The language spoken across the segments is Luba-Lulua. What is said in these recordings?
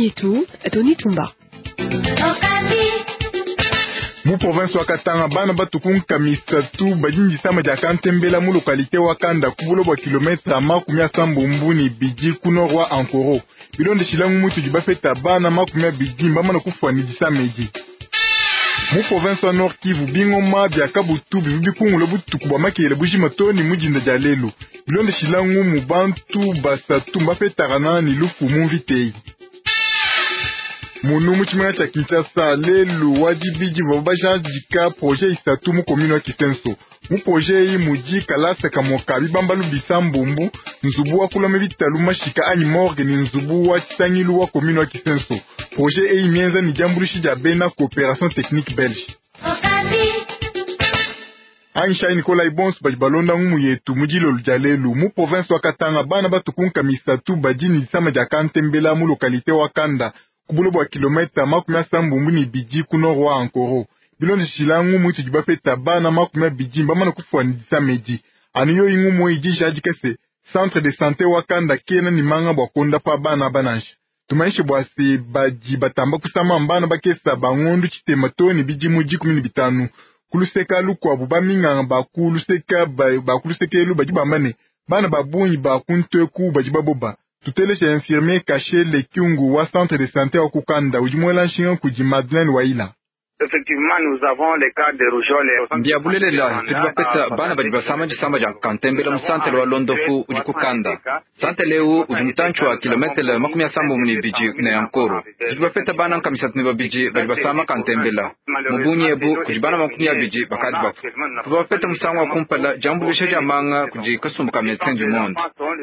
yetu Tony Tumba. Mu province wa Katanga bana batukunka misatu badi disama dia kantembela mu localité wa Kanda ku bulo bua kilometre 32 ku nord wa Ankoro. Bilondeshila ngumu tudi bapeta, bana 20 mbamana kufua ne disama edi. Mu province wa Nord Kivu, bingoma bia kabutu bivu bikungula butuku bua makele bujima to ne mudinda dia lelu. Bilondeshila ngumu, bantu basatu mbapetakana ne lufu mu mvita. Munu mu tshimenga tshia Kinshasa, lelu wa dibidi bavua bajadika projet isatu mu commune wa Kisenso. Mu projet eyi mudi kalasa kamue ka bibambalu bisambombu, nzubu wa kulama bitalu mashika anyi morgue ne nzubu wa tshisangilu wa commune wa Kisenso. Projet eyi mienza ne diambuluishi dia bena Coopération technique belge. Anyishayi Nikolai bonso badi balonda ngumu yetu mu dilolo dia lelu. Mu province wa Katanga bana batukunka misatu badi ne disama dia kantembela mu localité wa Kanda ku bulo bua kilometa 32 ku nord wa Ankoro. Bilondeshila ngumu itudi bapeta, bana 20 mbamana kufua ne disama edi. Anu yoyi ngumu idi ijadika se centre de santé wa Kanda kena ne manga bua kuondapa bana aba nansha. Tumanyishe bua se badi batamba kusama mbana bakesa ba ngondu tshitema to ne bidimu 15. Kuluseka lukuabu, baminganga bakuluseka bakulusekelu badi bamba ne bana ba bungi ba kunteku badi baboba. Tutelesha infirmier Kachele Kyungu wa centre de santé wa Kukanda udi muela nshinga kudi Madeleine Waila. Mbia bulelela, tudi bapeta bana badi basama disama dia kantembela mu santele wa londofu udi kukanda. Santele eu udi mutantshi wa kilometele 72 ne Ankoro. Tudi bapeta bana 32 badi basama kantembela. Mu bungi ebu kudi bana 20 bakadi bafua. Tuvua bapeta musangu wa kumpala diambuluisha dia manga kudi kasumbu ka Medecins du Monde.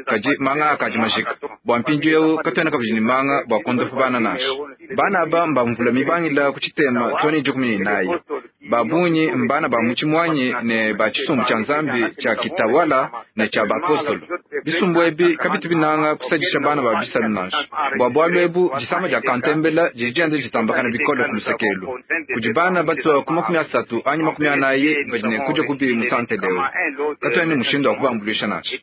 Kadi manga akadi majika. Bua mpindieu katuena kabidi ne manga bua kuondopa bana nansha. Bana aba mbamvula mibangila ku tshitema too ne 14. Ba bungi mbana ba mu tshimuanyi ne ba tshisumbu tshia Nzambi tshia Kitawala ne tshia bapostolo. Bisumbu ebi kabitu binanga kusadisha bana ba bisalu nansha. Bua bualu ebu disama dia kantembela didi dienda ditambakana bikole ku lusekelu. Kudi bana batua ku 30 anyi 40 badi ne kudia kubi mu santele eu. Katuena ne mushindu wa kubambuluisha nansha.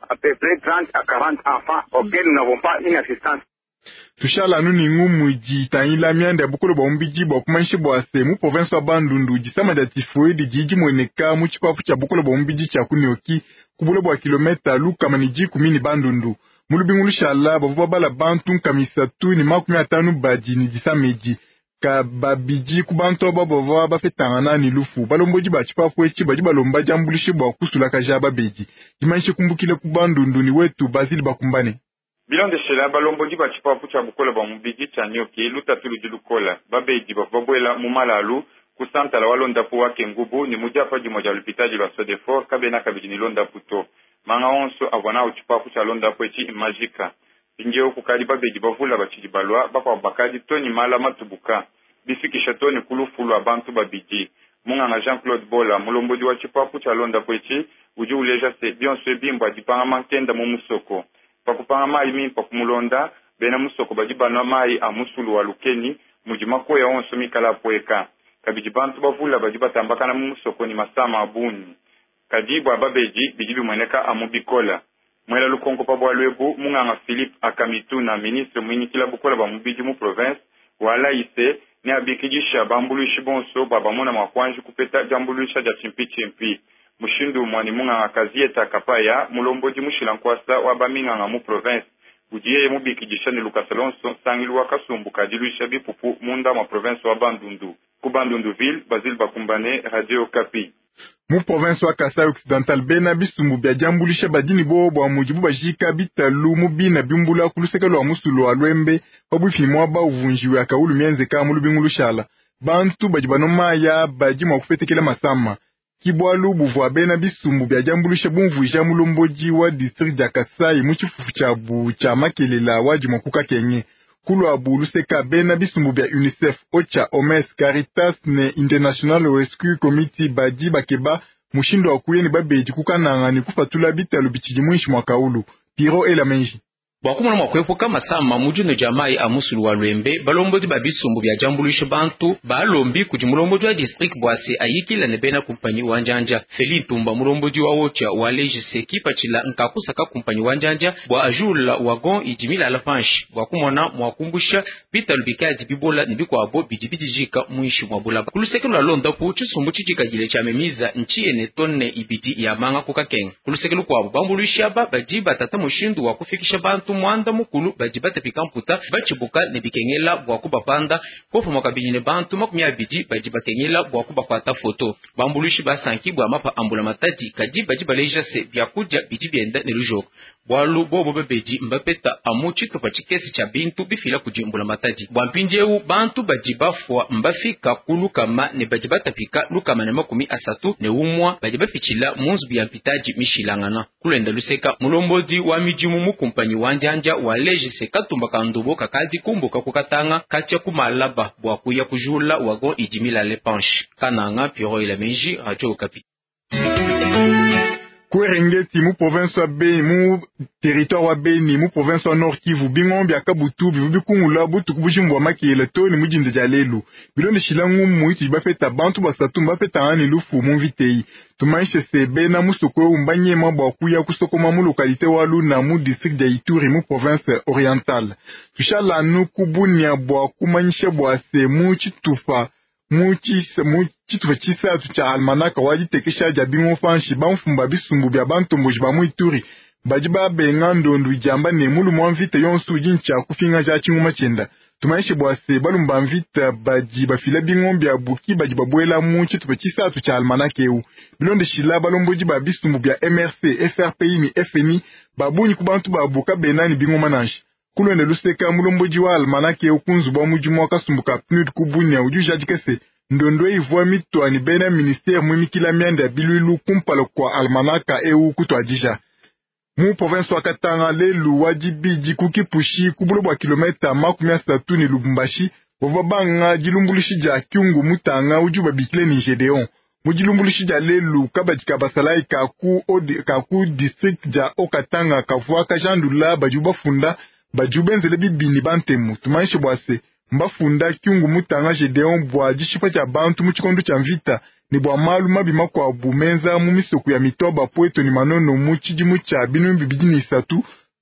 Tushala anu ne ngumu idi itangila mianda ya bukole bua mubidi bua kumanyisha bua se mu province wa Bandundu disama dia tifoide didi dimueneka mu tshipapu tshia bukole bua mubidi tshia Kunioki ku bule bua kilometa 110 ne Bandundu. Mu lubingu lushala bavua babala bantu 350 badi ne disama edi. Ka babidi ku bantu aba bavua bapetangana ne lufu. Balombodi ba tshipapu etshi badi balomba diambuluisha bua kusulakaja babedi. Dimanyishe kumbukile ku Bandundu ni wetu Basile Bakumbane. Bilondeshela balombodi ba tshipapu tshia bukole bua mubidi tshia Nioki, lutatu ludi lukola. Babedi bavua babuela mu malalu ku santala wa londapu wa Kengubu ne mu diapa dimue dia lupitadi lua Sodefor kabena kabidi ne londapu to. Manga onso avua nawu tshipapu tshia londapu etshi majika. Mpindieu kukadi babedi bavula batshidi balua, bakuabu bakadi to ne mala matubuka, bifikisha to ne ku lufu lua bantu babidi. Munganga Jean-Claude Bola, mulombodi wa tshipapu tshia londapu etshi, udi uleja se bionso ebi mbua dipanga mankenda mu musoko. Pa kupanga mayi mimpe kumulonda, bena musoko badi banua mayi a musulu wa Lukeni mudi makoya onso mikala apueka. Kabidi bantu bavula badi batambakana mu musoko ne masama a bungi. Kadi bua babedi bidi bimueneka amu bikola. Muela lukonko pa bualu ebu, munganga Philippe Akamituna, ministre muinyikila bukole bua mubidi mu province walayi se neabikidisha bambuluishi bonso bua bamona mua kuanji kupeta diambuluisha dia tshimpitshimpi. Mushindu umue ne munganga Kazieta Kapaya, mulombodi mushila nkuasa wa baminganga mu province, udi yeye mubikidisha ne lukasa lonso nsangilu wa kasumbu ka diluisha bipupu munda mua province wa Bandundu. Ku Bandunduville, Basile Bakumbane, Radio Okapi. Mu province wa Kasai Occidental bena bisumbu bia diambuluisha badi ne buowa bua mudibu bajika bitalu mu bina biumbula ku luseke lua musulu wa Luembe pabuipi ne muaba uvua njiwu ya kaulu mienzeka mu lubingu lushala. Bantu badi banua mayi aa badi mua kupetekela masama. Ki bualu buvua bena bisumbu bia diambuluisha bumvuija mulombodi wa district dia Kasai mu tshifufu tshiabu tshia makelela wa dimue ku Kakenge. Kuluabu luseka bena bisumbu bia UNICEF, OCHA, OMS, Caritas ne International Rescue Committee badi bakeba mushindu wa kuya ne babedi ku Kananga ne kupatula bitalu bitshidi muinshi mua kaulu. Piro ela menji. Bua kumona mua kuepuka masama mu dinua dia mayi a musulu wa Luembe, balombodi ba bisumbu bia diambuluisha bantu balombi kudi mulombodi wa distrike bua se ayikila ne bena kumpanyi wa njanja. Feli Ntumba, mulombodi wa Wotia, waleji se kipatshila nka kusaka kumpanyi wa njanja bua ajula wagon idi milala panshi bua kumona mua kumbusha bitalu bikadi bibola ne bikuabo bidi bidijika muinshi mua bulaba. Ku luseke lua londapu, tshisumbu tshidikadile tshia Memiza ntshiye ne tonne ibidi ya manga ku Kakenga. Ku luseke lukuabu, bambuluishi aba badi batata mushindu wa kufikisha bantu muanda mukulu badi batapika mputa batshibuka ne bikengela bua kubapanda, popamue kabidi ne bantu 20 badi bakengela bua kubakuata foto. Bambuluishi basanki bua mapa a mbulamatadi, kadi badi baleja se biakudia bidi bienda ne lujoko, bualu bobo babedi mbapeta amu tshitupa tshikese tshia bintu bifila kudi mbulamatadi. Bua mpindieu bantu badi bafua mbafika ku 100 ne badi batapika 131 badi bapitshila mu nzubu ya mpitadi mishilangana. Kulenda luseka, mulombodi wa midimu mu kumpanyi wa njanja waleji se katumba ka ndobo kakadi kumbuka ku Katanga katshia ku Malaba bua kuya kujula wagon idi milale panshi. Kananga, Pierrot Elameji, Radio Okapi. Ku Eringeti mu province wa Beni, mu territoire wa Beni mu province wa Nord Kivu, bingoma bia kabutu bivua bikungula butuku bujima bua makela too ne mu dinda dia lelu. Bilondeshila ngumu itudi bapeta, bantu basatu mbapetangana ne lufu mu mvita eyi. Tumanyishe se bena musoko eu mbanyema bua kuya kusokoma mu localité wa Luna mu district dia Ituri mu province orientale. Tushala anu ku Bunia bua kumanyisha bua se mu tshitupa mu tshitupa tshisatu tshia almanaka wa ditekesha dia bingoma panshi, bamfumu ba bisumbu bia bantomboji ba mu Ituri badi babenga ndondu idiamba ne mulume wa mvita yonso udi ntshia kupingaja tshingoma tshienda. Tumanyishe bua se balume ba mvita badi bafila bingoma biabu ki badi babuela mu tshitupa tshisatu tshia almanaka eu. Bilondeshila balombodi ba bisumbu bia MRC, FRPI ne FNI, ba bungi ku bantu babu kabena ne bingoma nansha. Kulwenda luseka, mulombodi wa almanaka eu ku nzubu wa mudimu wa kasumbu ka PNUD ku Bunia udi ujadika se ndondo ivua mitua ne bena ministere muimikila mianda ya bilwilu kumpala kua almanaka eu kutuadija. Mu province wa Katanga lelu wa dibidi ku Kipushi ku bulo bua kilometa 30 ne Lubumbashi bavua banga dilumbuluishi dia Kyungu Mutanga udi babikile ne Gedeon. Mu dilumbuluishi dia lelu kabadi ka basalayi ka ku district dia Haut-Katanga kavua kajandula badi bafunda badi benzele bibi ne bantemu. Tumanyishe bua se mbafunda Kyungu Mutanga Gedeon bua dishipa dia bantu mu tshikondo tshia mvita ne bua malu mabi makuabu menza mu misoko ya Mitoba, Pweto ne Manono mu tshidimu tshia 2003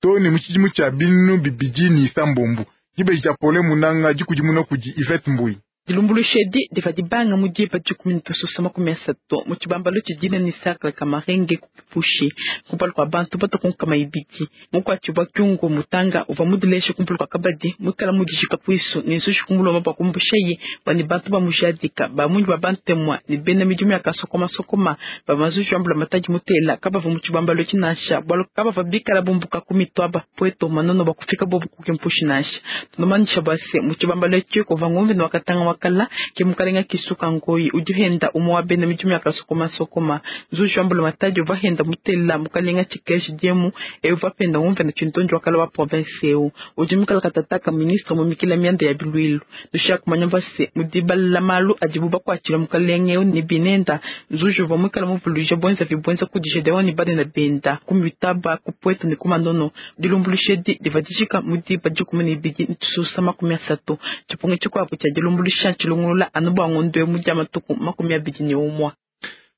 to ne mu tshidimu tshia 2026. Dibeji dia Pole Munanga dikudimuna kudi Yvette Mbui. Dilumbuluisha edi divua dibanga mu diba 10:30 mu tshibambalu tshidina ne cercle Kamarenge ku Kipushi kumpala kua bantu batokonkama ibidi. Mukuatshibua Kyungu Mutanga uvua mudileshe kumpala kua kabadi muikala mudijika kuisu ne nzuji kumulomba bua kumbushaye bua ne bantu bamujadika bamunyi ba bantemwa ne bena midimu ya kasokomasokoma ba mazuji wa mbulamatadi mutela kabavua mu tshibambalu tshinasha bualu kabavua bikala bumbuka ku Mitwaba, Pweto, Manono bua kufika bobu ku Kipushi nansha. Tunomanyisha bua se mu tshibambalu etshi kuvua ngumvi ne wakatanga wakala ke mukalenga Kisuka Ngoyi udi henda umwe wa bena midimu ya kasokomasokoma. Nzuji wa mbulamatadi uvua henda mutela mukalenga Tshikeji Diemu e uvua penda ngumvi na tshintonji wakala wa province eu udi mukala katataka ministre mumikila mianda ya bilwilu. Tushia kumanya bua se mudibala malu adibu bakuatshila mukalenga eu ne binenda. Nzuji uvua muikala muvuluija bwenza vibwenza kudi Gedeon ne banene benda ku Mitaba, ku Pweto ne ku Manono. Dilumbuluisha edi divua dijika mu diba 12:30. Tshipungu tshikuabu tshia dilumbuluisha tshilongolola anu bua ngondo eu mu dia matuku 21.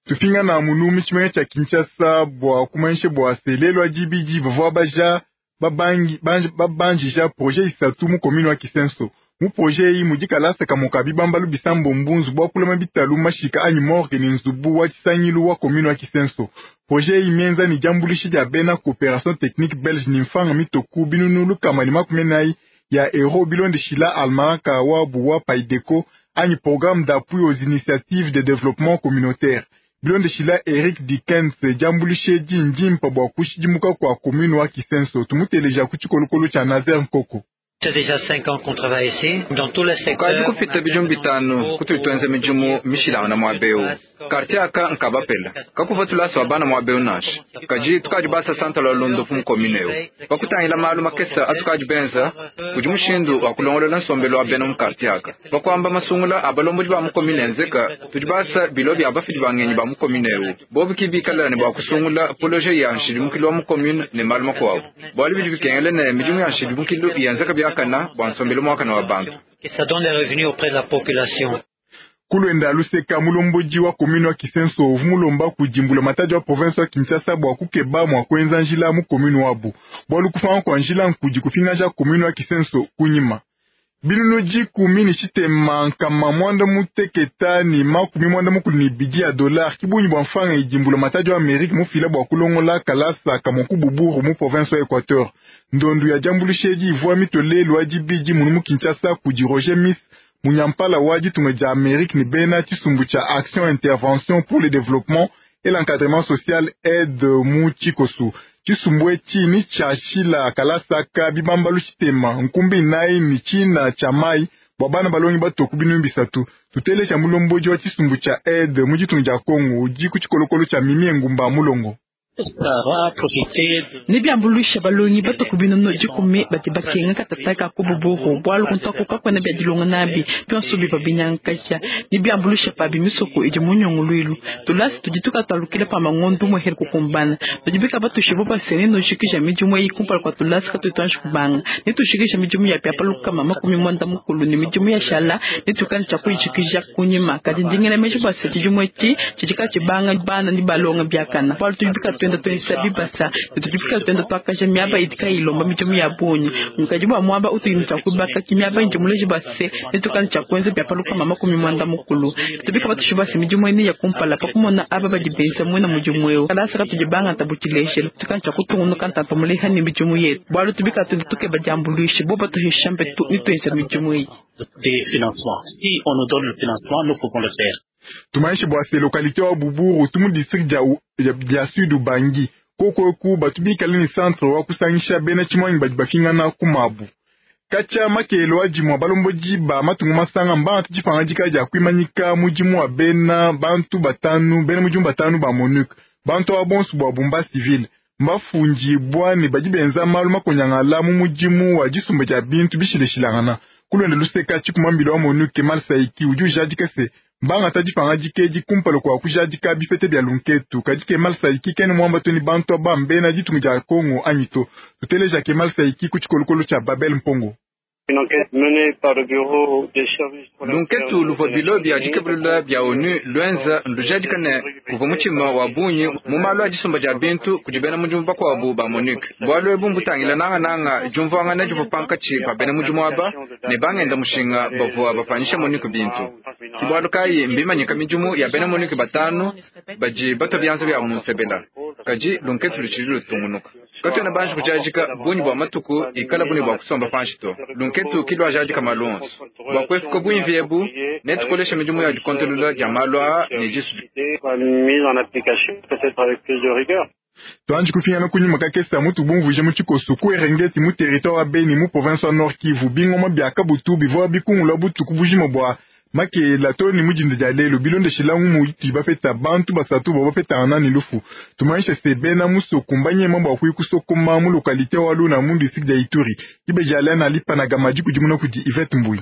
Tupingana munu mu tshimenga tshia Kinshasa bua kumanyisha bua se lelu wa dibidi bavua baja babanjija projet isatu mu commune wa Kisenso. Mu projet eyi mudi kalasa kamue ka bibambalu bisambombo, nzubu wa kulama bitalu mashika anyi morgue ne nzubu wa tshisangilu wa commune wa Kisenso. Projet eyi mienza ne diambuluisha dia bena coopération technique belge ne mfanga mitoku 144 ya euro bilondeshila almanaka wabu wa Paideco anyi programme d'appui aux initiatives de développement communautaire. Bilondeshila Eric Dickens diambuluisha edi ndimpa bua kushidimuka kua commune wa Kisenso. Tumuteleja ku tshikolokolo tshia Nazer Nkoko. Kukadi kupita bidimu 5 kutudi tuenza midimu mishilangana muaba eu. Quartier aka nkabapela kakuva tulasa wa bana muaba eu nansha. Kadi tukadi basa santala wa londopu mu commune eu. Pakutangila malu makesa atukadi benza kudi mushindu wa kulongolola nsombelu wa bena mu quartier aka. Pakuamba masungula a balombodi ba mu commune enzeka tudi basa bilo bia bafidi ba ngenyi ba mu commune eu. Bobu ki bikala ne bua kusungula projet ya nshidimukilu wa mu commune ne malu makuabu. Bualu bidi bikengela ne midimu ya nshidimukilu yenzeka biakana bua nsombelu muakana wa bantu. Kulwenda luseka mulombodi wa commune wa Kisenso uvu mulomba kudimbula matadi wa province wa Kinshasa bua kukeba mua kuenza njila mu commune wabu. Bualu kufanga kwa njila nkudi kufingaja commune wa Kisenso kunyima. Binunu 10 ni tshitema nkama 96 ni 82 ya dollar kibunyi bua mfanga idimbula matadi wa Amerique mufila bua kulongola kalasa kamoku Buburu mu province wa Equateur. Ndondu ya jambulusheji ivua mitolelu adibidi munu mu Kinshasa kudi Roger Miss munyampala wa ditunga dia Amerique ni bena tshisumbu tsha Action Intervention pour le Développement et l'Encadrement Social aide mu tshikosu. Tshisumbu etshi ni tshiashila kalasaka bibambalu tshitema nkumbi nayi ni tshina tsha mai bua bana balongi batoku binunu 3. Tutelesha mulombodi wa tshisumbu tsha aide mu ditunga dia Kongo udi ku tshikolokolo tsha Mimi Ngumba Mulongo. Nibyambuluisha balongi batoku binunu 10 badi bakenga katataka ku Buburu bualu kuntaku kakwena bya dilonga nabi byonso biva binyankasha. Nibyambuluisha pabi misoko idi munyongolwilu tulasi tudi tukatalukila pa mangondu muheri kukumbana tudi bika batushibo basene noshikisha midimu eyi kumpala kwa tulasi katutanshi kubanga nitushikisha midimu ya pyapa lukama 90 ni midimu ya shala nitukani tsha kuyishikisha kunyima kadi ndingela meji base tshidimu etshi tshidika tshibanga bana ni balonga byakana bualu tudi bika twenda twesa bibasa tutufika twenda twakasha miaba idika ilomba midimu ya bunyi mukadi bwa mwaba utuyinza kubaka kimiaba inji muleji base nitukani tsha kwenza byapa lukama 90 tubika batushibase midimu ene ya kumpala pakumona aba badi benza mwena mudimu eu kalasa katudibanga tabukileshelo tukani tsha kutungunuka ntanta muleha ni midimu yetu bualu tubika twenda tukeba diambuluishe bo batuhisha mpetu nitwenza midimu eyi. Des financements. Si on nous donne le financement, nous pouvons le faire. Tumaishe bua se localité wa Buburu tumu district dia Sud Ubangi kokoku batubikale ni centre wa kusangisha bena tshimwanyi badi bafingana kumabu. Kacha makelo adimwa balombodi ba matungu masanga mbanga tudipanga dia kuimanyika mudimu wa bena bantu batanu bena mudimu batanu ba MONUC bantu aba bonso bua bumba civile mbafundi bwane badi benza malu makonyangala mu mudimu wa disumba dia bintu bishileshilangana. Kulwenda luseka tshikumambila wa MONUC Kemal Saiki udi ujadika se mbanga tadipanga dikedi kumpala kwa kujadika bifete bya lunketu kadi Kemal Saiki kene mwamba toni bantu aba mbena ditunga dia Kongo anyito. Tuteleja Kemal Saiki ku tshikolokolo tsha Babel Mpongo. Lunketu luvua bilo bya dikebulula bya ONU lwenza lujadika ne kuvua mutshima wa bunyi mu malu a disumba dia bintu kudi bena mudimu bakuabu ba MONUC. Bualu ebu mbutangila nangananga diumvuangana divua pankatshi pa bena mudimu aba ne bangenda mushinga bavua bapanyisha MONUC bintu. Ki bualu kayi mbimanyika midimu ya bena MONUC batanu badi batua bianza bia mu nsebela. Kadi lunketu lutshidi lutungunuka. Katuena banji kujadika bunyi bua matuku ikala buni bua kusomba panshi to. Lunketu kilwa jadika malu onso. Bua kuepuka bunyi ebu netukolesha midimu ya dikontolola dia malu aa ne disu. Tuanji kufingana kunyima kakesa mutu bumvuje mu tshikoso ku Erengeti mu territoire wa Beni mu province wa Nord Kivu bingoma bia kabutu bivua bikungula butuku bujima bua makela to ni mujinda dia lelo bilondeshela ngumu iti bapeta bantu basatu bwa bapetana ni lufu. Tumaisha se bena musoku mbanyema bua kuikusokoma mu localité wa Luna mu district dia Ituri. Ibe na lipa gamaji kudimuna kudi Yvette Mbui.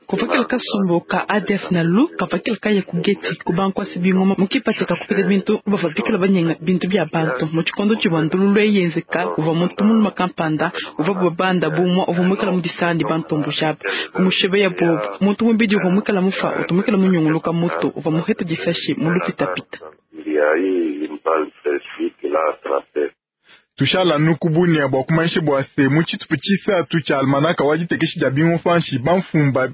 Kuvakila kasumbu ka ADF na lu kavakila kaya kugeti kubankwasi bingoma mukipateka kupeta bintu bavabikila banyenga bintu bya bantu mu tshikondo tshibandulu lweyenzeka kuva muntu muluma kampanda uva bubanda bumwa uva mwikala mu disandi bantombo jaba kumushebe ya bobo muntu mubidi uva mwikala mufa utumikala munyunguluka mutu uva muheta disashi mu lupitapita. Tushala nukubunia bwa kumaishe bwa se mu tshitupu tshisatu tsha almanaka wa ditekeshi dia bingoma bamfumba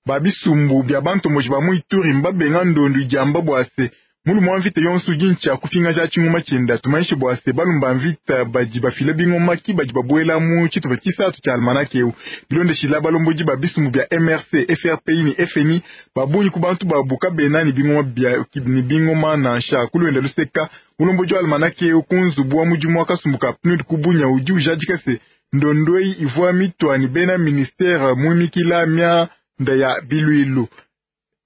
babisumbu bya bantomboji ba mu Ituri mbabenga ndondu idiamba bwa se mulume wa mvita yonso udi ntshia kupingaja tshingoma tshienda. Tumaishe bwa se balumba mvita badi bafila bingoma ki badi babuela mu tshitupa tshisatu tsha almanaka eu bilondeshila balombodi ba bisumbu bya MRC FRPI ni FNI babunyi ku bantu babuka bena ni bingoma bya ni bingoma nansha kulwenda luseka mulombodi wa almanaka eu ku nzubu wa mudimu wa kasumbu ka PNUD kubunya udi ujadika se Ndondo eyi ivua mitua ne bena ministere muimikila mianda ya biluilu.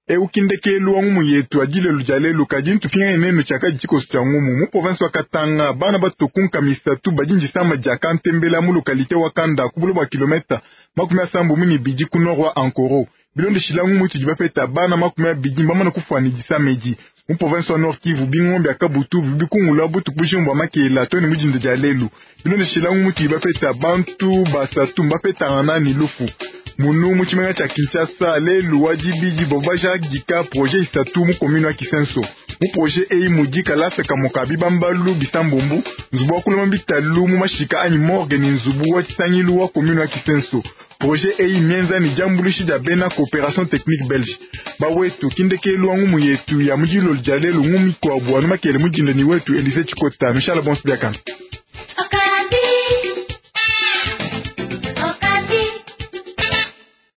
Eu ki ndekelu wa ngumu yetu ya dilelu dia lelu, kadi ntupingane nenu tshiakadi tshikoso tshia ngumu. Mu province wa Katanga, bana batue ku nkama isatu badi ndisama dia kantembela mu localite wa Kanda ku buloba bua kilometa 32 ku nord wa Ankoro. Bilondeshila ngumu itudi bapeta, bana 20 mbamane kufua ne disama edi. Mu province wa Nord Kivu, bingoma bia kabutu bidi bikungula butuku bujima bua makela too ne mu dinda dia lelu. Bilondeshila ngumu itudi bapeta, bantu basatu mbapetangana ne lufu. Munu mu tshimenga tshia Kinshasa lelu wa dibidi bavua bajadika projet isatu mu commune wa Kisenso. Mu projet eyi mudi kalasa kamue ka bibambalu bisambombu, nzubu wa kulama bitalu mu mashika anyi morgue ne nzubu wa tshisangilu wa commune wa Kisenso. Projet eyi mienza ne diambuluishi dia bena coopération technique belge. Bawetu ki ndekelu wa ngumu yetu ya mu dilolo dia lelu, ngumu mikuabu anu makele mu dinda ne wetu Elise Tshikota. Nushala bonso biakane.